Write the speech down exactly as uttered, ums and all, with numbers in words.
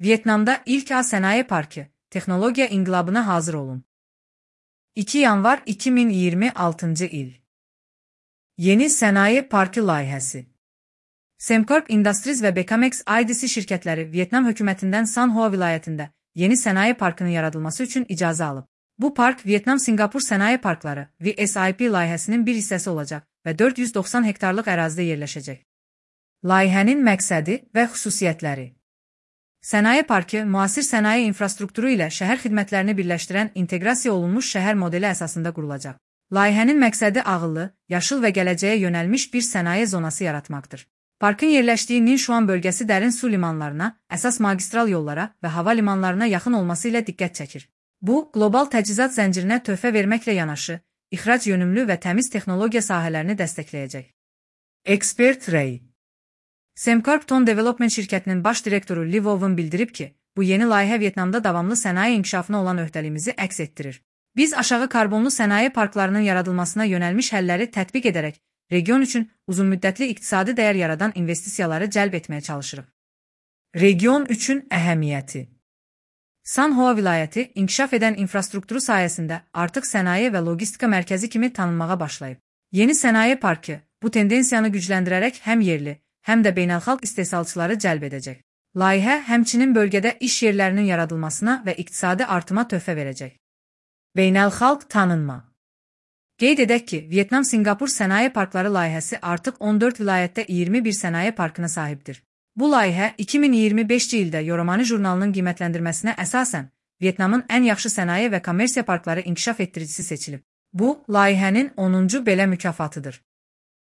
Vyetnamda ilk A Sənaye Parkı, texnologiya inqilabına hazır olun. iki yanvar iki min iyirmi altıncı il. Yeni Sənaye Parkı layihəsi. Semcorp Industries və Becamex I D C şirkətləri Vyetnam hökumətindən San Hoa vilayətində yeni sənaye parkının yaradılması üçün icazə alıb. Bu park Vyetnam-Singapur Sənaye Parkları V S I P layihəsinin bir hissəsi olacaq və dörd yüz doxsan hektarlıq ərazidə yerləşəcək. Layihənin məqsədi və xüsusiyyətləri. Sənaye parkı müasir sənaye infrastrukturu ilə şəhər xidmətlərini birləşdirən inteqrasiya olunmuş şəhər modeli əsasında qurulacaq. Layihənin məqsədi ağıllı, yaşıl və gələcəyə yönəlmiş bir sənaye zonası yaratmaqdır. Parkın yerləşdiyi Ninşuan bölgəsi dərin su limanlarına, əsas magistral yollara və hava limanlarına yaxın olması ilə diqqət çəkir. Bu, qlobal təchizat zəncirinə töhfə verməklə yanaşı, ixrac yönümlü və təmiz texnologiya sahələrini dəstəkləyəcək. Expert Ray. Semcorp Ton Development şirkətinin baş direktoru Li Vovun bildirib ki, bu yeni layihə Vyetnamda davamlı sənaye inkişafına olan öhdəliyimizi əks etdirir. Biz aşağı karbonlu sənaye parklarının yaradılmasına yönəlmiş həlləri tətbiq edərək, region üçün uzunmüddətli iqtisadi dəyər yaradan investisiyaları cəlb etməyə çalışırıq. Region üçün əhəmiyyəti. San Hoa vilayəti inkişaf edən infrastrukturu sayəsində artıq sənaye və logistika mərkəzi kimi tanınmağa başlayıb. Yeni sənaye parkı bu tendensiyanı gücləndirərək həm yerli, həm də beynəlxalq istehsalçıları cəlb edəcək. Layihə həmçinin bölgədə iş yerlərinin yaradılmasına və iqtisadi artıma töhfə verəcək. Beynəlxalq tanınma. Qeyd edək ki, Vyetnam-Singapur Sənaye Parkları layihəsi artıq on dörd vilayətdə iyirmi bir sənaye parkına sahibdir. Bu layihə iki min iyirmi beşinci ildə Yoromani jurnalının qiymətləndirməsinə əsasən Vyetnamın ən yaxşı sənaye və kommersiya parkları inkişaf etdiricisi seçilib. Bu, layihənin onuncu belə mükafatıdır.